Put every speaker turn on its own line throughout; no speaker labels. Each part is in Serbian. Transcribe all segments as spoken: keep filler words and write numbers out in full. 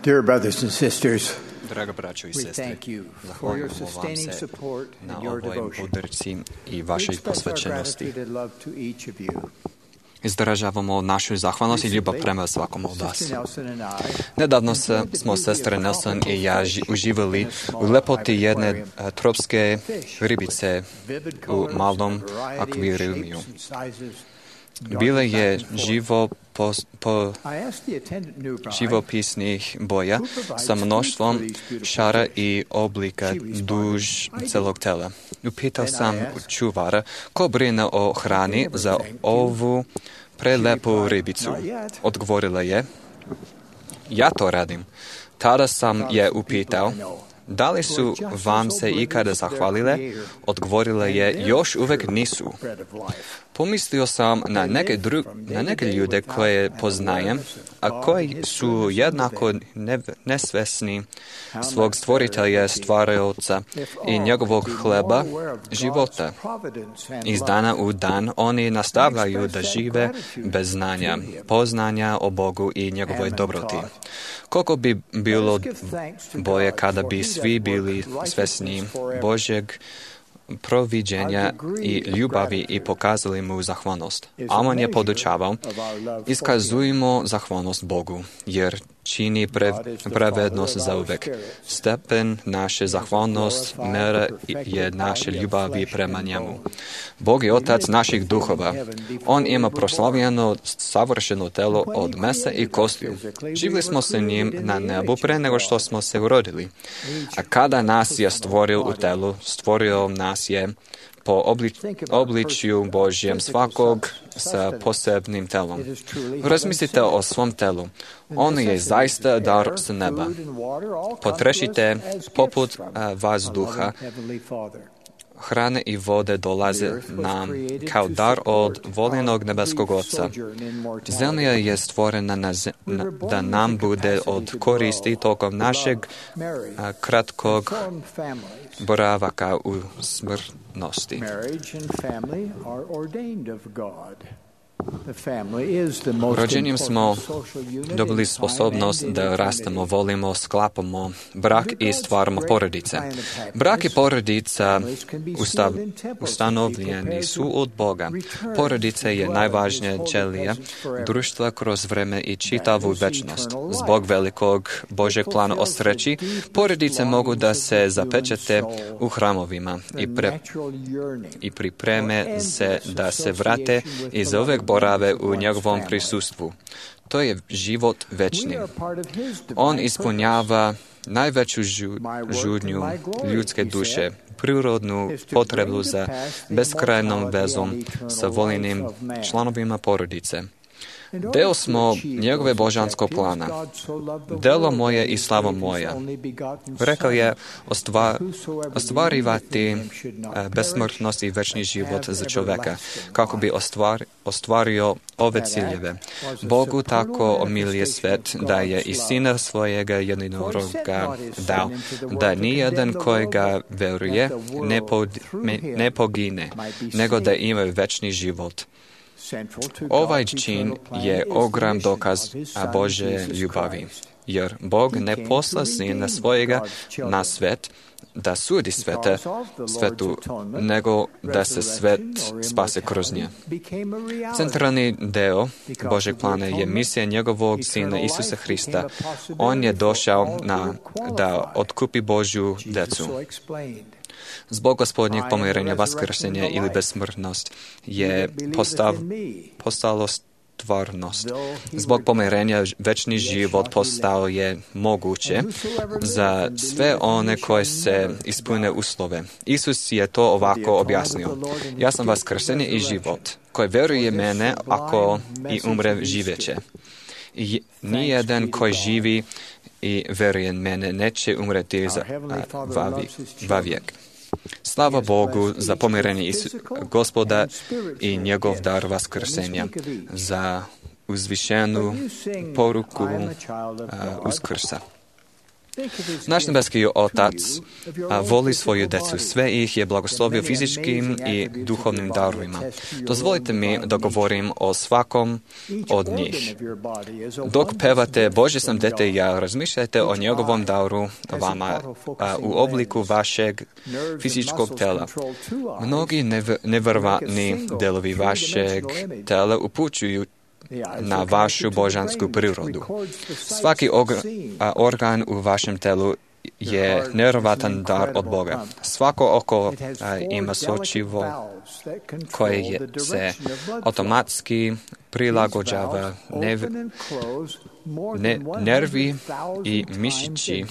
Dear brothers and sisters,
Draga braćo i
we
sestre,
thank you for your
zahvaljujemo vam
sustaining
se
support
na
and your
ovoj
devotion.
podršci i
We
vašoj
express our
posvećenosti.
gratitude and love to each of you.
Izražavamo našu zahvalnost i ljubav prema svakom od vas.
Sister Nelson and I
Nedavno se, smo sestre Nelson i ja ži, uživali u lepoti jedne a, tropske ribice u malom akvarijumiju. Bile je živo po, po živopisnih boja sa mnoštvom šara i oblika duž celog tela. Upitao sam čuvara ko brine o hrani za ovu prelepu ribicu. Odgovorila je, ja to radim. Tada sam je upitao, da li su vam se ikada zahvalile? Odgovorila je, još uvijek nisu. Pomislio sam na neke, dru, na neke ljude koje poznajem, a koji su jednako ne, nesvesni svog stvoritelja, stvaraoca i njegovog hleba života. Iz dana u dan oni nastavljaju da žive bez znanja, poznanja o Bogu i njegovoj dobroti. Koliko bi bilo bolje kada bi svi bili svesni Božjeg proviđenja i ljubavi i pokazali mu zahvalnost. Amon je podučavao, iskazujemo zahvalnost Bogu, jer čini pre, pravednost za uvek. Stepen naše zahvalnost, mera je naše ljubavi prema njemu. Bog je otac naših duhova. On ima proslavljeno savršeno telo od mesa i kostiju. Živjeli smo sa njim na nebu pre nego što smo se urodili. A kada nas je stvorio u telu, stvorio nas je po obli, obličju Božjem svakog sa posebnim telom. Razmislite o svom telu. Ono je zaista dar sa neba. Potrešite poput a, vazduha. Hrane i vode dolaze nam kao dar od voljenog nebeskog Oca. Zemlja je stvorena na zem, na, da nam bude od koristi tokom našeg a, kratkog boravaka u smrtnosti. Rođenjem smo dobili sposobnost da rastemo, volimo, sklapamo brak i stvaramo porodice. Brak i porodica ustav, ustanovljeni su od Boga. Porodica je najvažnija ćelija društva kroz vreme i čitavu večnost. Zbog velikog Božeg plana o sreći, porodice mogu da se zapečate u hramovima i, pre, i pripreme se da se vrate i zauvek borave u njegovom prisustvu. To je život večni. On ispunjava najveću žu, žudnju ljudske duše, prirodnu potrebu za beskrajnom vezom sa voljenim članovima porodice. Deo smo njegove božanskog plana. Delo moje i slava moja. Rekao je ostvar, ostvarivati besmrtnost i večni život za čoveka, kako bi ostvar, ostvario ove ciljeve. Bogu tako omilije svet da je i sina svojega jedinoroga dao, da nijedan koji ga veruje ne, pod, ne pogine, nego da ima večni život. Ovaj čin je ogrom dokaz Božje ljubavi, jer Bog ne posla sina svojega na svet da sudi svete, svetu, nego da se svet spase kroz nje. Centralni deo Božeg plana je misija njegovog sina Isusa Hrista. On je došao na, da otkupi Božju decu. Zbog gospodnjeg pomirenja, vaskrsenja ili besmrtnost je postav, postalo stvarnost. Zbog pomirenja večni život postao je moguće za sve one koje se ispune uslove. Isus je to ovako objasnio. Ja sam vaskrsenje i život. Koji veruje mene, ako i umre, živeće. I nijedan koji živi i veruje mene neće umreti za vavijek. Slava Bogu za pomirenje Isu, Gospoda i njegov dar vaskrsenja, za uzvišenu poruku uh, Uskrsa. Naš nebeski Otac a, voli svoju decu, sve ih je blagoslovio fizičkim i duhovnim darovima. Dozvolite mi da govorim o svakom od njih. Dok pevate Bože sam dete i ja, razmišljajte o njegovom daru vama a, u obliku vašeg fizičkog tela. Mnogi nev- nevjerovatni delovi vašeg tela upućuju na vašu božansku prirodu. Svaki og- a, organ u vašem telu je nevjerovatan dar od Boga. Svako oko a, ima sočivo koje je, se automatski prilagođava nev, ne, nervi i mišići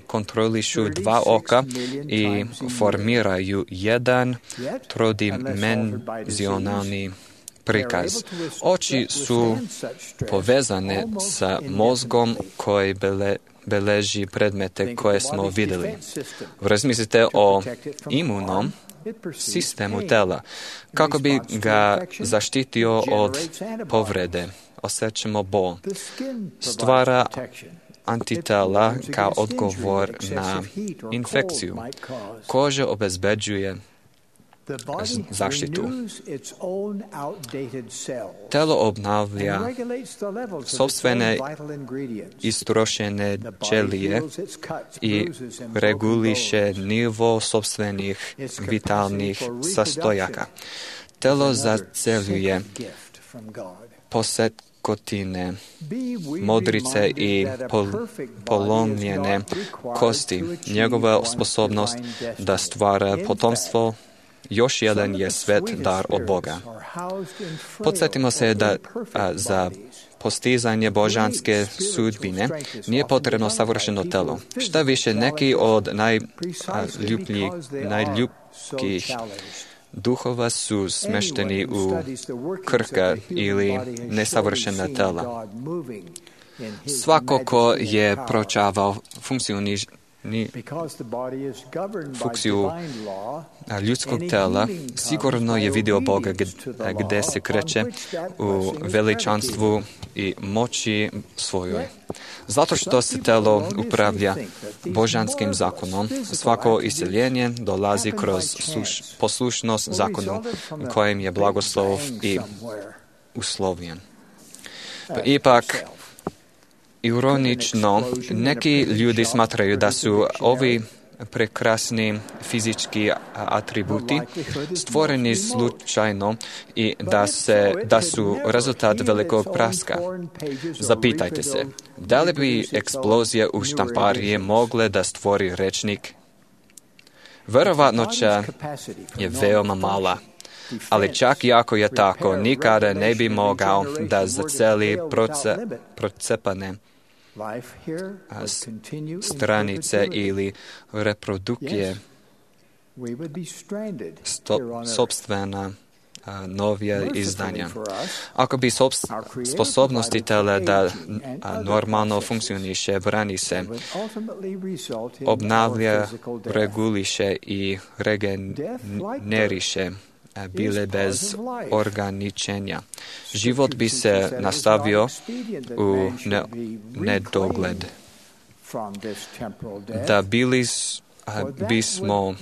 kontrolišu dva oka i formiraju jedan trodimenzionalni prikaz. Oči su povezane sa mozgom koji bele, beleži predmete koje smo vidjeli. Razmislite o imunom sistemu tela, kako bi ga zaštitio od povrede. Osjećamo bol. Stvara antitela kao odgovor na infekciju. Koža obezbeđuje zaštitu. Telo obnavlja sopstvene istrošene ćelije i reguliše nivo sopstvenih vitalnih sastojaka. Telo zaceljuje posetkotine, modrice i pol, polomljene kosti. Njegova sposobnost da stvara potomstvo još jedan je svet dar od Boga. Podsjetimo se da a, za postizanje božanske sudbine nije potrebno savršeno telo. Šta više, neki od najljubljih, najljubkih duhova su smešteni u krhka ili nesavršena tela. Svako ko je proučavao funkcioni ni funkciju ljudskog tela, sigurno je vidio Boga gdje se kreće u veličanstvu i moći svojoj. Zato što se telo upravlja božanskim zakonom, svako isceljenje dolazi kroz sluš, poslušnost zakonu kojim je blagoslov i uslovljen. Pa ipak, ironično, neki ljudi smatraju da su ovi prekrasni fizički atributi stvoreni slučajno i da, se, da su rezultat velikog praska. Zapitajte se, da li bi eksplozija u štampariji mogle da stvori rečnik? Verovatnoća je veoma mala, ali čak i ako je tako, nikada ne bi mogao da zaceli proce, procepane stranice ili reprodukcije sto, sopstvena a, novija izdanja. Ako bi sobst, sposobnosti tela da a, normalno funkcioniše, brani se, obnavlja, reguliše i regeneriše, bile bez ograničenja. Život bi se nastavio u ne, nedogled. Da bili bismo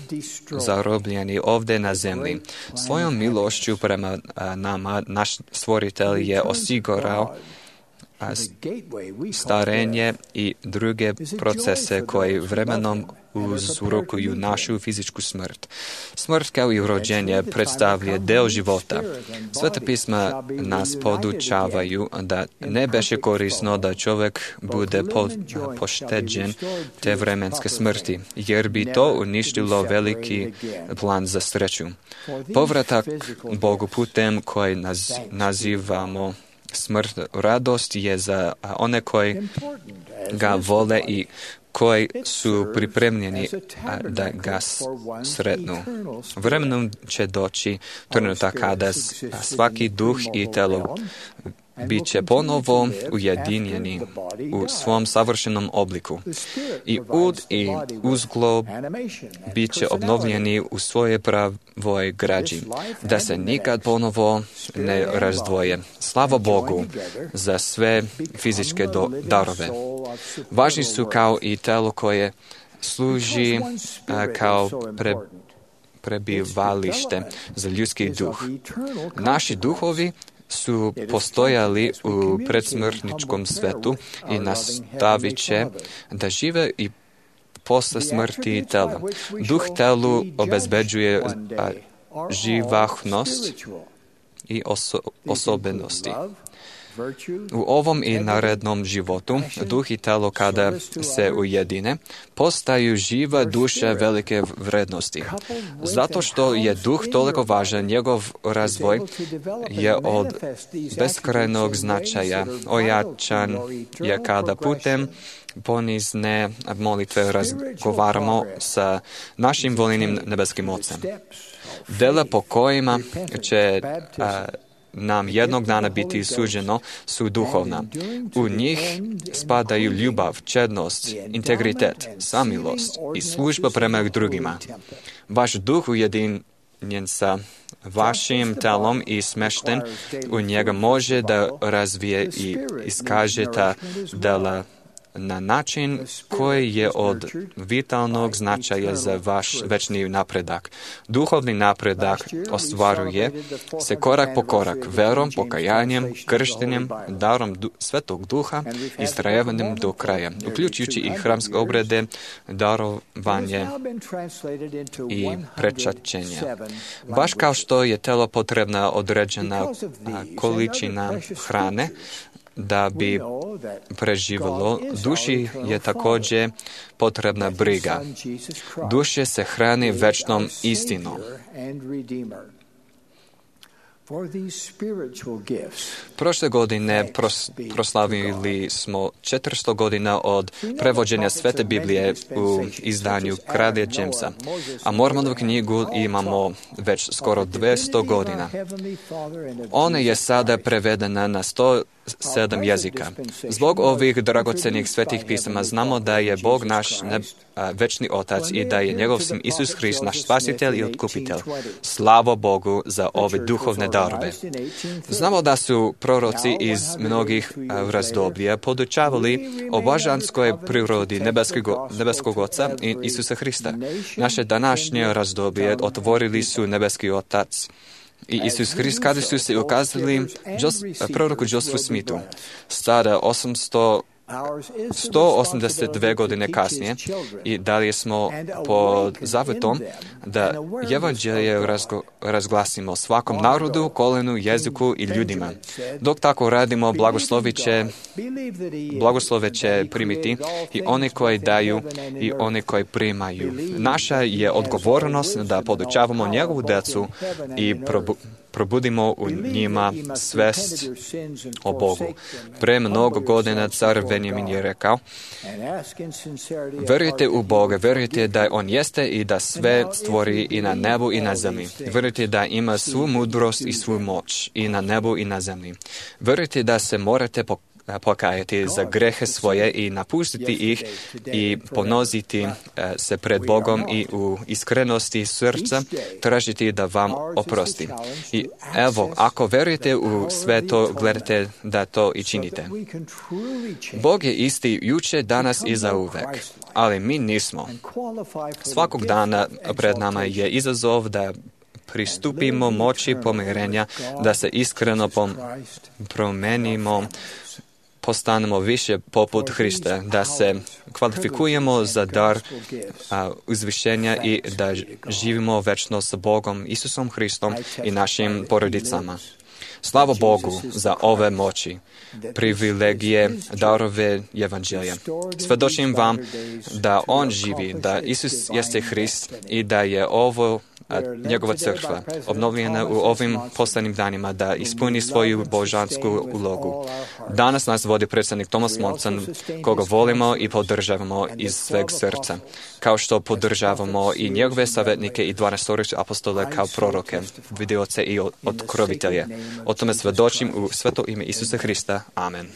zarobljeni ovdje na zemlji. Svojom milošću prema nama naš stvoritelj je osigurao starenje i druge procese koji vremenom uzrokuju našu fizičku smrt. Smrt kao i rođenje predstavlja deo života. Sveta pisma nas podučavaju da ne beše korisno da čovjek bude po, pošteđen te vremenske smrti, jer bi to uništilo veliki plan za sreću. Povratak Bogu putem koji naz, nazivamo smrt, radost je za one koji ga vole i koji su pripremljeni da ga sretnu. Vremenom će doći trenutak kada svaki duh i telo bit će ponovo ujedinjeni u svom savršenom obliku. I ud i uzglob bit će obnovljeni u svoje pravoj građi, da se nikad ponovo ne razdvoje. Slava Bogu za sve fizičke do, darove. Važni su kao i telo koje služi kao pre, prebivalište za ljudski duh. Naši duhovi su postojali u predsmrtničkom svetu i nastavit će da žive i posle smrti tela. Duh telu obezbeđuje živahnost i oso, osobenosti. U ovom i narednom životu, duh i telo kada se ujedine, postaju živa duša velike vrednosti. Zato što je duh toliko važan, njegov razvoj je od beskrajnog značaja. Ojačan je kada putem ponizne molitve razgovaramo sa našim voljenim nebeskim Ocem. Dela po kojima će a, nam jednog dana biti suđeno su duhovna. U njih spadaju ljubav, čednost, integritet, samilost i služba prema drugima. Vaš duh ujedinjen sa vašim telom i smešten u njega može da razvije i iskaže ta dela na način koji je od vitalnog značaja za vaš večni napredak. Duhovni napredak ostvaruje se korak po korak, verom, pokajanjem, krštenjem, darom du- Svetog Duha i istrajavanjem do kraja, uključujući i hramske obrede, darovanje i prečačenje. Baš kao što je telo potrebna određena količina hrane, da bi preživjelo, duši je također potrebna briga. Duše se hrani večnom istinom. Prošle godine pros, proslavili smo četiristo godina od prevođenja Svete Biblije u izdanju Kralja Jamesa, a Mormonovu knjigu imamo već skoro dvjesto godina. Ona je sada prevedena na sto sedam jezika. Zbog ovih dragocenih svetih pisama znamo da je Bog naš neb, a, večni Otac i da je njegov sin Isus Hrist naš spasitelj i otkupitelj. Slavo Bogu za ove duhovne darove. Znamo da su proroci iz mnogih a, razdoblja podučavali o božanskoj prirodi nebeskog, nebeskog Oca i Isusa Hrista. Naše današnje razdoblje otvorili su nebeski Otac i Isus Hrist kada su se ukazali proroku Josephu Smithu. Sada osamsto sto osamdeset dve godine kasnije i dalje smo pod zavetom da evanđelje razgo, razglasimo svakom narodu, kolenu, jeziku i ljudima. Dok tako radimo, blagoslove će, blagoslove će primiti i oni koji daju i oni koji primaju. Naša je odgovornost da podučavamo njegovu decu i probu, probudimo u njima svest o Bogu. Pre mnogo godina car Benjamin je rekao: verujte u Boga, verujte da On jeste i da sve stvori i na nebu i na zemlji. Verujte da ima svu mudrost i svu moć i na nebu i na zemlji. Verujte da se morate pokajati za grehe svoje i napustiti ih i ponoziti se pred Bogom i u iskrenosti srca tražiti da vam oprosti. I evo, ako verujete u sve to, gledajte da to i činite. Bog je isti juče, danas i zauvek, ali mi nismo. Svakog dana pred nama je izazov da pristupimo moći pomirenja, da se iskreno pom- promenimo, postanemo više poput Hrista, da se kvalifikujemo za dar a, uzvišenja i da živimo večno sa Bogom, Isusom Hristom i našim porodicama. Slava Bogu za ove moći, privilegije, darove evanđelja. Svedočim vam da On živi, da Isus jeste Hrist i da je ovo a, njegova crkva, obnovljena u ovim poslednjim danima, da ispuni svoju božansku ulogu. Danas nas vodi predstavnik Thomas Monson, koga volimo i podržavamo iz sveg srca, kao što podržavamo i njegove savjetnike i dvanaestoricu apostole kao proroke, vidioce i otkrovitelje. O tome svedočim u sveto ime Isusa Hrista. Amen.